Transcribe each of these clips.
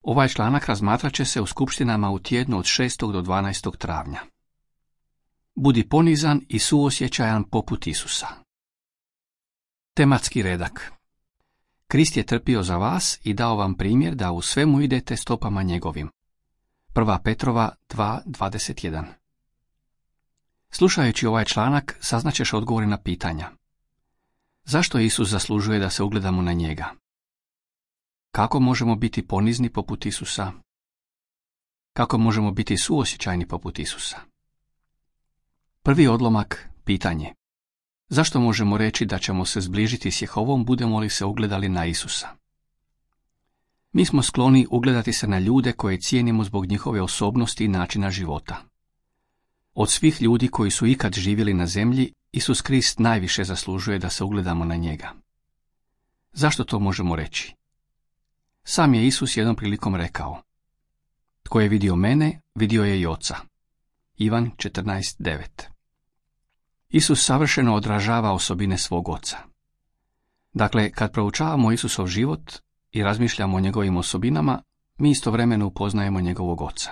Ovaj članak razmatrat će se u skupštinama u tjednu od 6. do 12. travnja. Budi ponizan i suosjećajan poput Isusa. Tematski redak. Krist je trpio za vas i dao vam primjer da u svemu idete stopama njegovim. 1. Petrova 2.21. Slušajući ovaj članak saznaćeš odgovore na pitanja. Zašto Isus zaslužuje da se ugledamo na njega? Kako možemo biti ponizni poput Isusa? Kako možemo biti suosjećajni poput Isusa? Prvi odlomak, pitanje. Zašto možemo reći da ćemo se zbližiti s Jehovom budemo li se ugledali na Isusa? Mi smo skloni ugledati se na ljude koje cijenimo zbog njihove osobnosti i načina života. Od svih ljudi koji su ikad živjeli na zemlji, Isus Krist najviše zaslužuje da se ugledamo na njega. Zašto to možemo reći? Sam je Isus jednom prilikom rekao: Tko je vidio mene, vidio je i Oca. Ivan 14.9. Isus savršeno odražava osobine svog Oca. Dakle, kad proučavamo Isusov život i razmišljamo o njegovim osobinama, mi istovremeno upoznajemo njegovog Oca.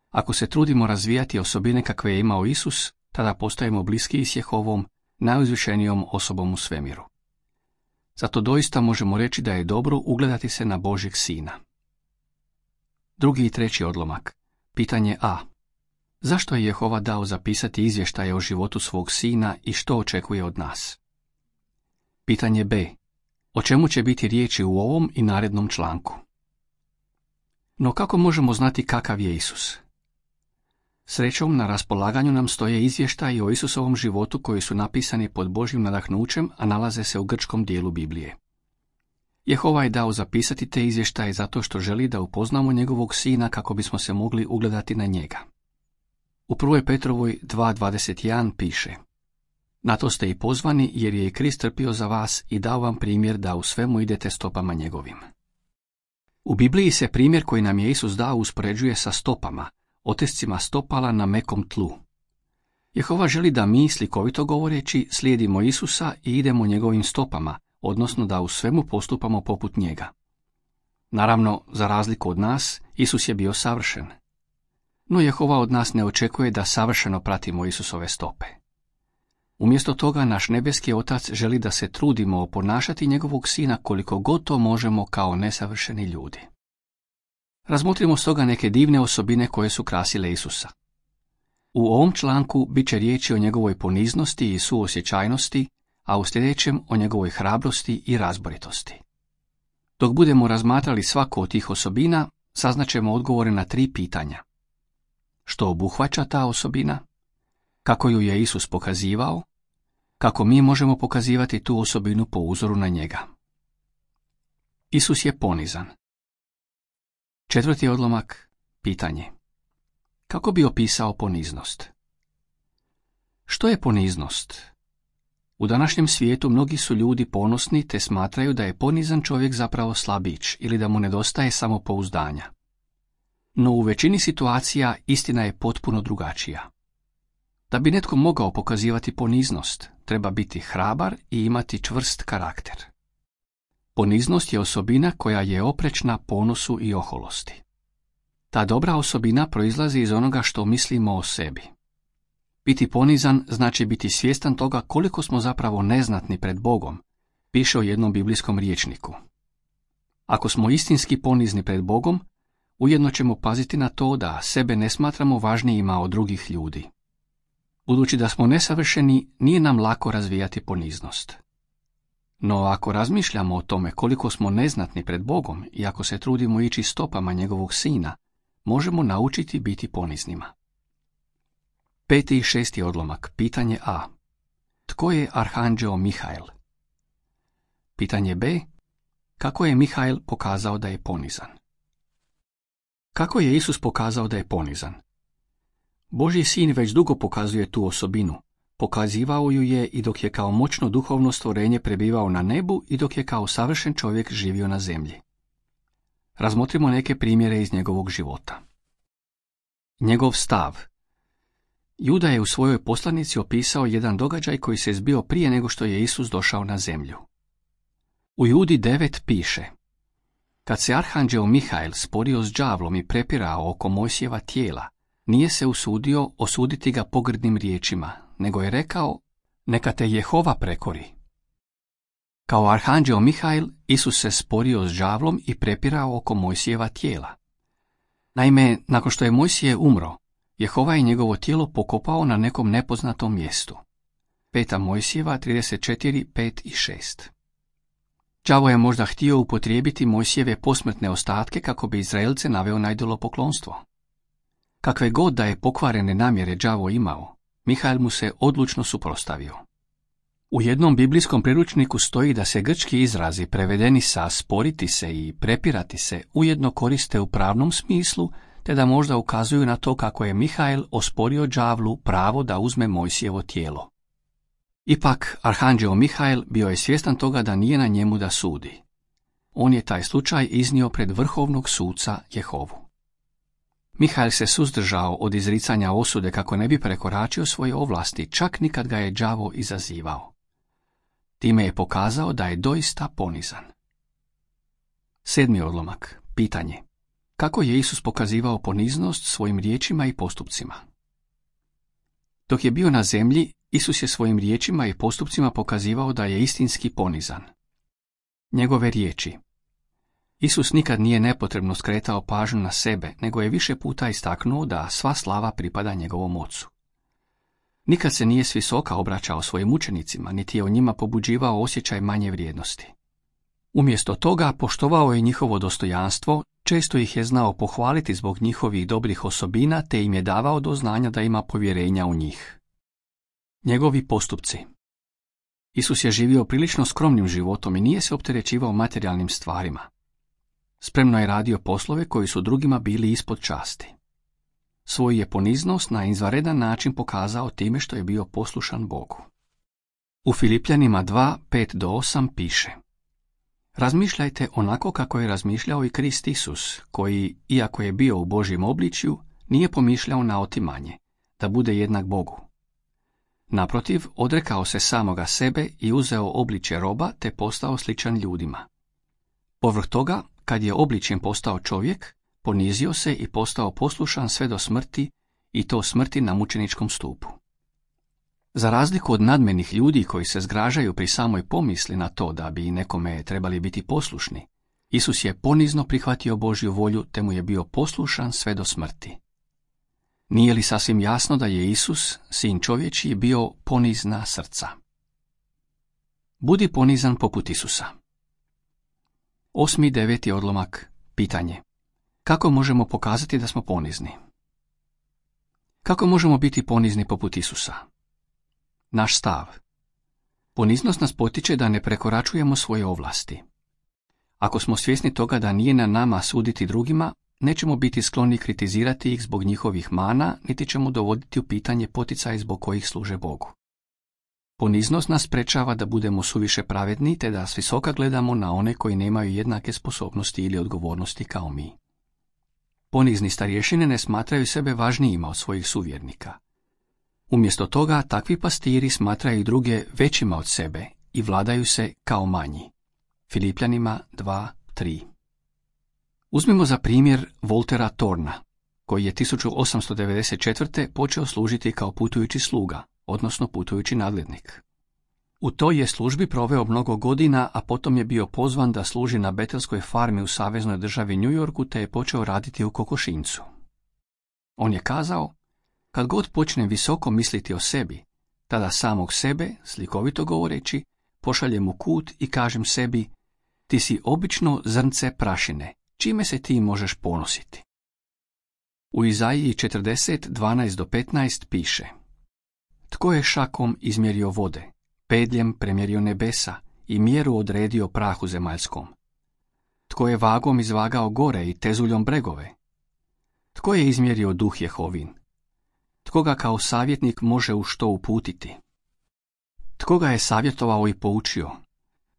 Ako se trudimo razvijati osobine kakve je imao Isus, tada postajemo bliskiji s Jehovom, najuzvišenijom osobom u svemiru. Zato doista možemo reći da je dobro ugledati se na Božjeg Sina. Drugi i treći odlomak. Pitanje A. Zašto je Jehova dao zapisati izvještaje o životu svog Sina i što očekuje od nas? Pitanje B. O čemu će biti riječi u ovom i narednom članku? No kako možemo znati kakav je Isus? Srećom, na raspolaganju nam stoje izvještaji o Isusovom životu koji su napisani pod Božjim nadahnućem, a nalaze se u grčkom dijelu Biblije. Jehova je dao zapisati te izvještaje zato što želi da upoznamo njegovog Sina kako bismo se mogli ugledati na njega. U 1. Petrovoj 2.21 piše: Na to ste i pozvani jer je i Krist trpio za vas i dao vam primjer da u svemu idete stopama njegovim. U Bibliji se primjer koji nam je Isus dao uspoređuje sa stopama, otiscima stopala na mekom tlu. Jehova želi da mi, slikovito govoreći, slijedimo Isusa i idemo njegovim stopama, odnosno da u svemu postupamo poput njega. Naravno, za razliku od nas, Isus je bio savršen. No Jehova od nas ne očekuje da savršeno pratimo Isusove stope. Umjesto toga, naš nebeski Otac želi da se trudimo oponašati njegovog Sina koliko god to možemo kao nesavršeni ljudi. Razmotrimo stoga neke divne osobine koje su krasile Isusa. U ovom članku bit će riječi o njegovoj poniznosti i suosjećajnosti, a u sljedećem o njegovoj hrabrosti i razboritosti. Dok budemo razmatrali svaku od tih osobina, saznaćemo odgovore na 3 pitanja. Što obuhvaća ta osobina? Kako ju je Isus pokazivao? Kako mi možemo pokazivati tu osobinu po uzoru na njega? Isus je ponizan. 4. odlomak, pitanje. Kako bi opisao poniznost? Što je poniznost? U današnjem svijetu mnogi su ljudi ponosni te smatraju da je ponizan čovjek zapravo slabić ili da mu nedostaje samopouzdanja. No u većini situacija istina je potpuno drugačija. Da bi netko mogao pokazivati poniznost, treba biti hrabar i imati čvrst karakter. Poniznost je osobina koja je oprečna ponosu i oholosti. Ta dobra osobina proizlazi iz onoga što mislimo o sebi. Biti ponizan znači biti svjestan toga koliko smo zapravo neznatni pred Bogom, piše u jednom biblijskom rječniku. Ako smo istinski ponizni pred Bogom, ujedno ćemo paziti na to da sebe ne smatramo važnijima od drugih ljudi. Budući da smo nesavršeni, nije nam lako razvijati poniznost. No ako razmišljamo o tome koliko smo neznatni pred Bogom i ako se trudimo ići stopama njegovog Sina, možemo naučiti biti poniznima. 5. i 6. odlomak, pitanje A. Tko je arhanđeo Mihael? Pitanje B. Kako je Mihael pokazao da je ponizan? Kako je Isus pokazao da je ponizan? Božji Sin već dugo pokazuje tu osobinu. Pokazivao ju je i dok je kao moćno duhovno stvorenje prebivao na nebu i dok je kao savršen čovjek živio na zemlji. Razmotrimo neke primjere iz njegovog života. Njegov stav. Juda je u svojoj poslanici opisao jedan događaj koji se zbio prije nego što je Isus došao na zemlju. U Judi 9 piše: Kad se arhanđeo Mihael sporio s đavlom i prepirao oko Mojsijeva tijela, nije se usudio osuditi ga pogrdnim riječima, nego je rekao, neka te Jehova prekori. Kao arhanđeo Mihael, Isus se sporio s đavlom i prepirao oko Mojsijeva tijela. Naime, nakon što je Mojsije umro, Jehova je njegovo tijelo pokopao na nekom nepoznatom mjestu. 5. Mojsijeva 34, 5 i 6. Đavo je možda htio upotrijebiti Mojsijeve posmrtne ostatke kako bi Izraelce naveo na idolopoklonstvo. Kakve god da je pokvarene namjere đavo imao, Mihael mu se odlučno suprotstavio. U jednom biblijskom priručniku stoji da se grčki izrazi prevedeni sa sporiti se i prepirati se ujedno koriste u pravnom smislu, te da možda ukazuju na to kako je Mihael osporio đavlu pravo da uzme Mojsijevo tijelo. Ipak, arhanđeo Mihael bio je svjestan toga da nije na njemu da sudi. On je taj slučaj iznio pred vrhovnog suca Jehovu. Mihael se suzdržao od izricanja osude kako ne bi prekoračio svoje ovlasti, čak ni kad ga je đavo izazivao. Time je pokazao da je doista ponizan. 7. odlomak. Pitanje. Kako je Isus pokazivao poniznost svojim riječima i postupcima? Dok je bio na zemlji, Isus je svojim riječima i postupcima pokazivao da je istinski ponizan. Njegove riječi. Isus nikad nije nepotrebno skretao pažnju na sebe, nego je više puta istaknuo da sva slava pripada njegovom ocu. Nikad se nije s visoka obraćao svojim učenicima, niti je o njima pobuđivao osjećaj manje vrijednosti. Umjesto toga poštovao je njihovo dostojanstvo, često ih je znao pohvaliti zbog njihovih dobrih osobina, te im je davao do znanja da ima povjerenja u njih. Njegovi postupci. Isus je živio prilično skromnim životom i nije se opterećivao materijalnim stvarima. Spremno je radio poslove koji su drugima bili ispod časti. Svoju je poniznost na izvanredan način pokazao time što je bio poslušan Bogu. U Filipljanima 2, 5-8 piše: Razmišljajte onako kako je razmišljao i Krist Isus, koji, iako je bio u Božjem obličju, nije pomišljao na otimanje, da bude jednak Bogu. Naprotiv, odrekao se samoga sebe i uzeo obličje roba te postao sličan ljudima. Povrh toga, kad je obličjem postao čovjek, ponizio se i postao poslušan sve do smrti, i to smrti na mučeničkom stupu. Za razliku od nadmenih ljudi koji se zgražaju pri samoj pomisli na to da bi nekome trebali biti poslušni, Isus je ponizno prihvatio Božju volju te mu je bio poslušan sve do smrti. Nije li sasvim jasno da je Isus, sin čovječji, bio ponizna srca? Budi ponizan poput Isusa. 8. i 9. odlomak. Pitanje. Kako možemo pokazati da smo ponizni? Kako možemo biti ponizni poput Isusa? Naš stav. Poniznost nas potiče da ne prekoračujemo svoje ovlasti. Ako smo svjesni toga da nije na nama suditi drugima, nećemo biti skloni kritizirati ih zbog njihovih mana, niti ćemo dovoditi u pitanje poticaje zbog kojih služe Bogu. Poniznost nas sprečava da budemo suviše pravedni te da s visoka gledamo na one koji nemaju jednake sposobnosti ili odgovornosti kao mi. Ponizni starješine ne smatraju sebe važnijima od svojih suvjernika. Umjesto toga, takvi pastiri smatraju druge većima od sebe i vladaju se kao manji. Filipljanima 2:3. Uzmimo za primjer Voltera Thorna, koji je 1894. počeo služiti kao putujući sluga, odnosno putujući nadglednik. U toj je službi proveo mnogo godina, a potom je bio pozvan da služi na betelskoj farmi u saveznoj državi New Yorku te je počeo raditi u kokošinjcu. On je kazao: kad god počnem visoko misliti o sebi, tada samog sebe, slikovito govoreći, pošaljem u kut i kažem sebi: ti si obično zrnce prašine, čime se ti možeš ponositi? U Izaiji 40:12-15 piše: tko je šakom izmjerio vode, pedljem premjerio nebesa i mjeru odredio prahu zemaljskom? Tko je vagom izvagao gore i tezuljom bregove? Tko je izmjerio duh Jehovin? Tko ga kao savjetnik može u što uputiti? Tko ga je savjetovao i poučio?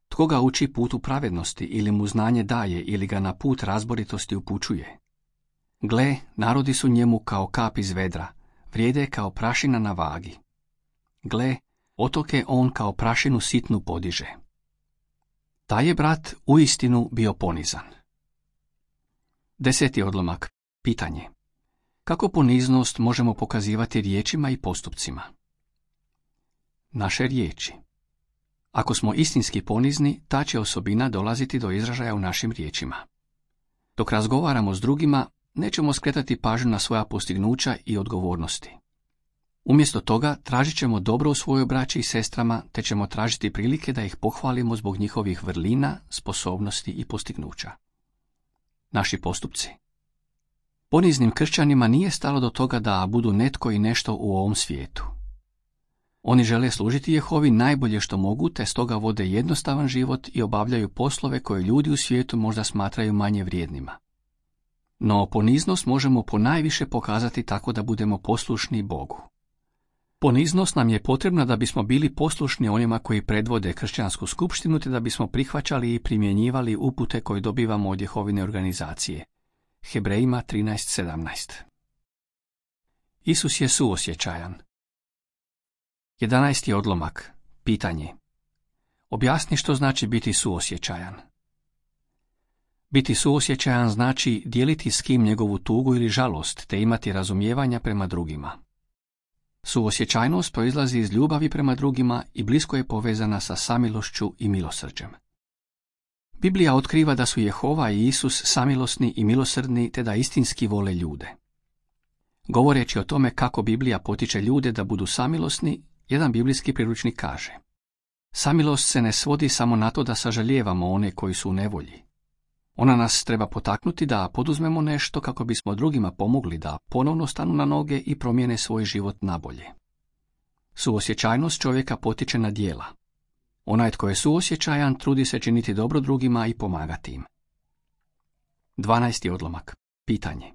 Tko ga uči putu pravednosti ili mu znanje daje ili ga na put razboritosti upućuje? Gle, narodi su njemu kao kap iz vedra, vrijede kao prašina na vagi. Gle, otoke on kao prašinu sitnu podiže. Taj je brat uistinu bio ponizan. 10. odlomak. Pitanje. Kako poniznost možemo pokazivati riječima i postupcima? Naše riječi. Ako smo istinski ponizni, ta će osobina dolaziti do izražaja u našim riječima. Dok razgovaramo s drugima, nećemo skretati pažnju na svoja postignuća i odgovornosti. Umjesto toga, tražit ćemo dobro u svojoj braći i sestrama, te ćemo tražiti prilike da ih pohvalimo zbog njihovih vrlina, sposobnosti i postignuća. Naši postupci. Poniznim kršćanima nije stalo do toga da budu netko i nešto u ovom svijetu. Oni žele služiti Jehovi najbolje što mogu, te stoga vode jednostavan život i obavljaju poslove koje ljudi u svijetu možda smatraju manje vrijednima. No poniznost možemo ponajviše pokazati tako da budemo poslušni Bogu. Poniznost nam je potrebna da bismo bili poslušni onima koji predvode kršćansku skupštinu, te da bismo prihvaćali i primjenjivali upute koje dobivamo od Jehovine organizacije. Hebrejima 13:17. Isus je suosjećajan. 11. odlomak. Pitanje. Objasni što znači biti suosjećajan. Biti suosjećajan znači dijeliti s kim njegovu tugu ili žalost, te imati razumijevanja prema drugima. Suosjećajnost proizlazi iz ljubavi prema drugima i blisko je povezana sa samilošću i milosrđem. Biblija otkriva da su Jehova i Isus samilosni i milosrdni, te da istinski vole ljude. Govoreći o tome kako Biblija potiče ljude da budu samilosni, jedan biblijski priručnik kaže: Samilost se ne svodi samo na to da sažalijevamo one koji su u nevolji. Ona nas treba potaknuti da poduzmemo nešto kako bismo drugima pomogli da ponovno stanu na noge i promijene svoj život nabolje. Suosjećajnost čovjeka potiče na djela. Onaj tko je suosjećajan trudi se činiti dobro drugima i pomagati im. 12. odlomak. Pitanje.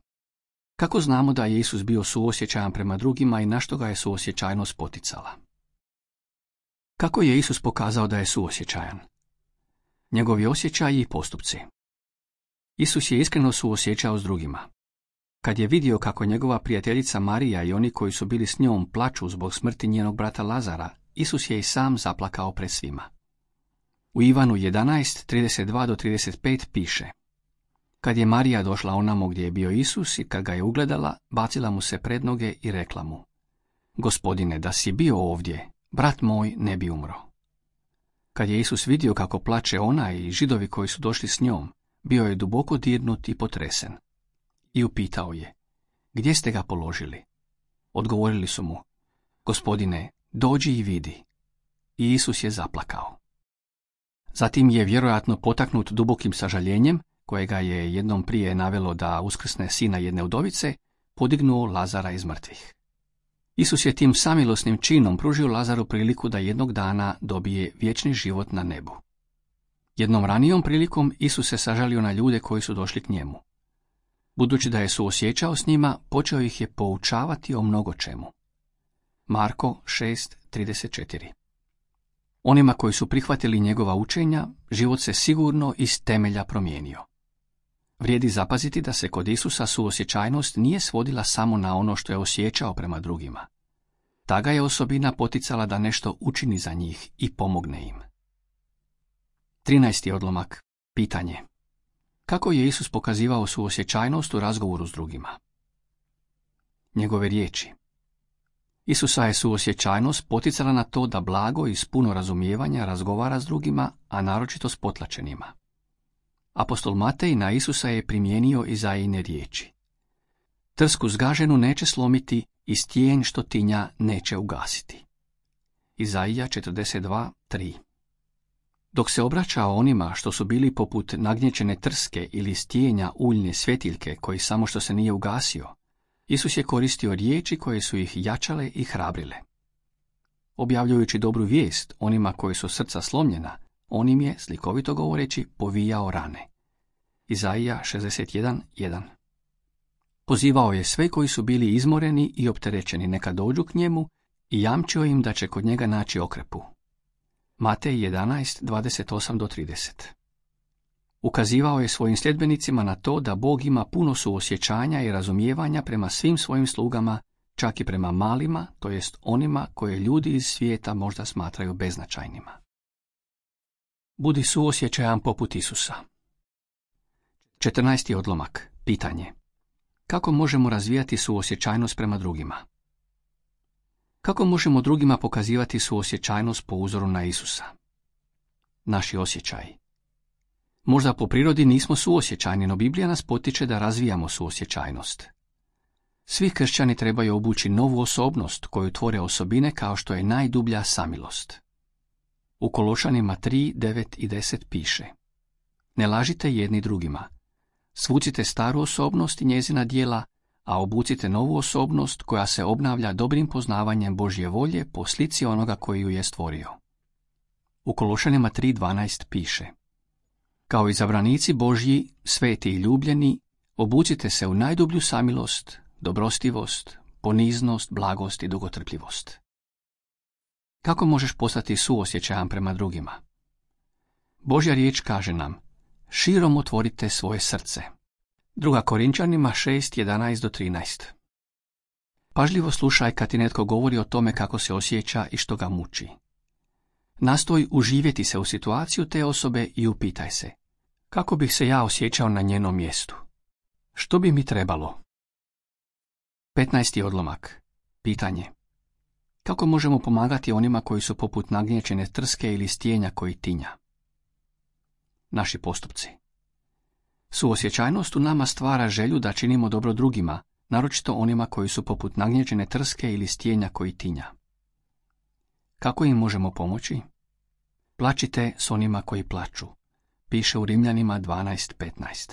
Kako znamo da je Isus bio suosjećajan prema drugima i na što ga je suosjećajnost poticala? Kako je Isus pokazao da je suosjećajan? Njegovi osjećaji i postupci. Isus je iskreno suosjećao s drugima. Kad je vidio kako njegova prijateljica Marija i oni koji su bili s njom plaču zbog smrti njenog brata Lazara, Isus je i sam zaplakao pred svima. U Ivanu 11:32-35 piše: Kad je Marija došla onamo gdje je bio Isus i kad ga je ugledala, bacila mu se pred noge i rekla mu: Gospodine, da si bio ovdje, brat moj ne bi umro. Kad je Isus vidio kako plače ona i Židovi koji su došli s njom, bio je duboko dirnut i potresen. I upitao je: Gdje ste ga položili? Odgovorili su mu: Gospodine, dođi i vidi. I Isus je zaplakao. Zatim je vjerojatno potaknut dubokim sažaljenjem, kojega je jednom prije navelo da uskrsne sina jedne udovice, podignuo Lazara iz mrtvih. Isus je tim samilosnim činom pružio Lazaru priliku da jednog dana dobije vječni život na nebu. Jednom ranijom prilikom Isus se sažalio na ljude koji su došli k njemu. Budući da je suosjećao s njima, počeo ih je poučavati o mnogo čemu. Marko 6:34. Onima koji su prihvatili njegova učenja, život se sigurno iz temelja promijenio. Vrijedi zapaziti da se kod Isusa suosjećajnost nije svodila samo na ono što je osjećao prema drugima. Ta ga je osobina poticala da nešto učini za njih i pomogne im. 13. odlomak. Pitanje. Kako je Isus pokazivao suosjećajnost u razgovoru s drugima? Njegove riječi. Isusa je suosjećajnost poticala na to da blago i s puno razumijevanja razgovara s drugima, a naročito s potlačenima. Apostol Matej na Isusa je primijenio Izajine riječi: Trsku zgaženu neće slomiti i stijenj što tinja neće ugasiti. Izaija 42:3. Dok se obraćao onima što su bili poput nagnječene trske ili stijenja uljne svjetiljke koji samo što se nije ugasio, Isus je koristio riječi koje su ih jačale i hrabrile. Objavljujući dobru vijest onima koji su srca slomljena, on im je, slikovito govoreći, povijao rane. Izaija 61:1. Pozivao je sve koji su bili izmoreni i opterećeni neka dođu k njemu i jamčio im da će kod njega naći okrepu. Matej 11:28-30. Ukazivao je svojim sljedbenicima na to da Bog ima puno suosjećanja i razumijevanja prema svim svojim slugama, čak i prema malima, to jest onima koje ljudi iz svijeta možda smatraju beznačajnima. Budi suosjećajan poput Isusa. 14. odlomak. Pitanje. Kako možemo razvijati suosjećajnost prema drugima? Kako možemo drugima pokazivati suosjećajnost po uzoru na Isusa? Naši osjećaji. Možda po prirodi nismo suosjećajni, no Biblija nas potiče da razvijamo suosjećajnost. Svi kršćani trebaju obući novu osobnost koju tvore osobine kao što je najdublja samilost. U Kološanima 3, 9 i 10 piše: Ne lažite jedni drugima. Svucite staru osobnost i njezina djela, a obucite novu osobnost koja se obnavlja dobrim poznavanjem Božje volje po slici onoga koji ju je stvorio. U Kološanima 3.12 piše: Kao izabranici Božji, sveti i ljubljeni, obucite se u najdublju samilost, dobrostivost, poniznost, blagost i dugotrpljivost. Kako možeš postati suosjećajan prema drugima? Božja riječ kaže nam: širom otvorite svoje srce. 2. Korinčanima 6:11-13. Pažljivo slušaj kad ti netko govori o tome kako se osjeća i što ga muči. Nastoj uživjeti se u situaciju te osobe i upitaj se: kako bih se ja osjećao na njenom mjestu? Što bi mi trebalo? 15. odlomak. Pitanje. Kako možemo pomagati onima koji su poput nagnječene trske ili stjenja koji tinja? Naši postupci. Suosjećajnost u nama stvara želju da činimo dobro drugima, naročito onima koji su poput nagnječene trske ili stjenja koji tinja. Kako im možemo pomoći? Plačite s onima koji plaču, piše u Rimljanima 12:15.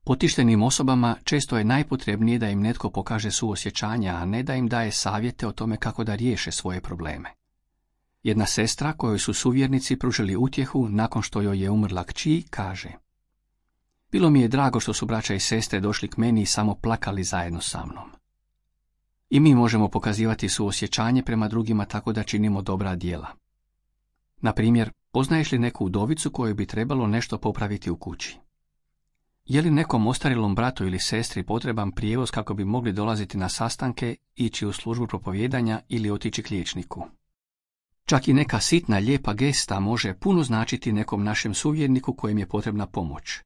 Potištenim osobama često je najpotrebnije da im netko pokaže suosjećanje, a ne da im daje savjete o tome kako da riješe svoje probleme. Jedna sestra kojoj su suvjernici pružili utjehu nakon što joj je umrla kći, kaže: bilo mi je drago što su braća i sestre došli k meni i samo plakali zajedno sa mnom. I mi možemo pokazivati suosjećanje prema drugima tako da činimo dobra djela. Na primjer, poznaješ li neku udovicu kojoj bi trebalo nešto popraviti u kući? Je li nekom ostarilom bratu ili sestri potreban prijevoz kako bi mogli dolaziti na sastanke, ići u službu propovijedanja ili otići k liječniku? Čak i neka sitna, lijepa gesta može puno značiti nekom našem suvjerniku kojem je potrebna pomoć.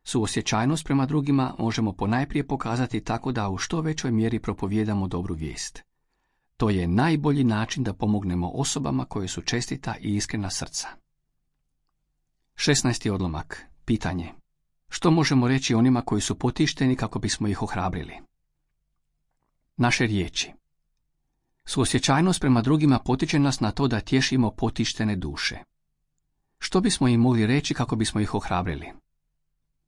Suosjećajnost prema drugima možemo ponajprije pokazati tako da u što većoj mjeri propovijedamo dobru vijest. To je najbolji način da pomognemo osobama koje su čestita i iskrena srca. 16. odlomak. Pitanje. Što možemo reći onima koji su potišteni kako bismo ih ohrabrili? Naše riječi. Suosjećajnost prema drugima potiče nas na to da tješimo potištene duše. Što bismo im mogli reći kako bismo ih ohrabrili?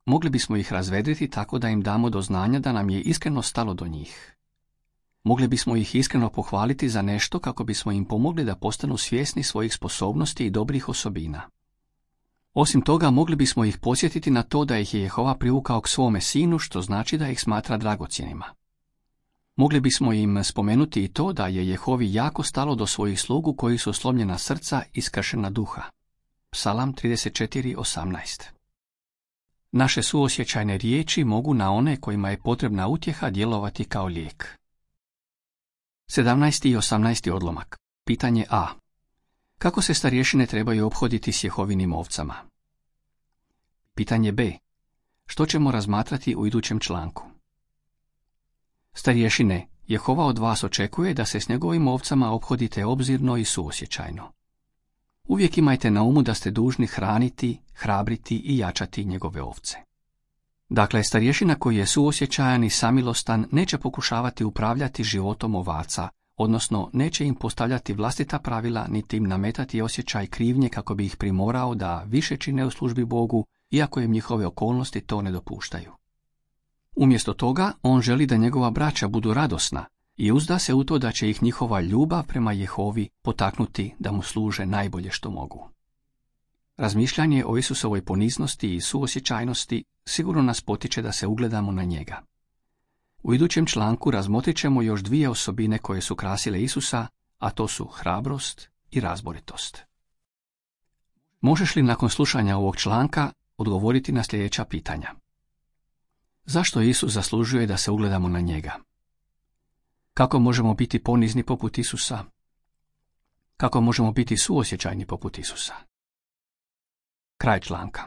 Mogli bismo ih razvedriti tako da im damo do znanja da nam je iskreno stalo do njih. Mogli bismo ih iskreno pohvaliti za nešto kako bismo im pomogli da postanu svjesni svojih sposobnosti i dobrih osobina. Osim toga, mogli bismo ih podsjetiti na to da ih je Jehova privukao k svome sinu, što znači da ih smatra dragocjenima. Mogli bismo im spomenuti i to da je Jehovi jako stalo do svojih slugu koji su slomljena srca i skršena duha. Psalam 34:18. Naše suosjećajne riječi mogu na one kojima je potrebna utjeha djelovati kao lijek. 17. i 18. odlomak. Pitanje A. Kako se starješine trebaju ophoditi s Jehovinim ovcama? Pitanje B. Što ćemo razmatrati u idućem članku? Starješine, Jehova od vas očekuje da se s njegovim ovcama ophodite obzirno i suosjećajno. Uvijek imajte na umu da ste dužni hraniti, hrabriti i jačati njegove ovce. Dakle, starješina koji je suosjećajan i samilostan neće pokušavati upravljati životom ovaca, odnosno neće im postavljati vlastita pravila niti im nametati osjećaj krivnje kako bi ih primorao da više čine u službi Bogu, iako im njihove okolnosti to ne dopuštaju. Umjesto toga, on želi da njegova braća budu radosna i uzda se u to da će ih njihova ljubav prema Jehovi potaknuti da mu služe najbolje što mogu. Razmišljanje o Isusovoj poniznosti i suosjećajnosti sigurno nas potiče da se ugledamo na njega. U idućem članku razmotrit ćemo još dvije osobine koje su krasile Isusa, a to su hrabrost i razboritost. Možeš li nakon slušanja ovog članka odgovoriti na sljedeća pitanja? Zašto Isus zaslužuje da se ugledamo na njega? Kako možemo biti ponizni poput Isusa? Kako možemo biti suosjećajni poput Isusa? Kraj članka.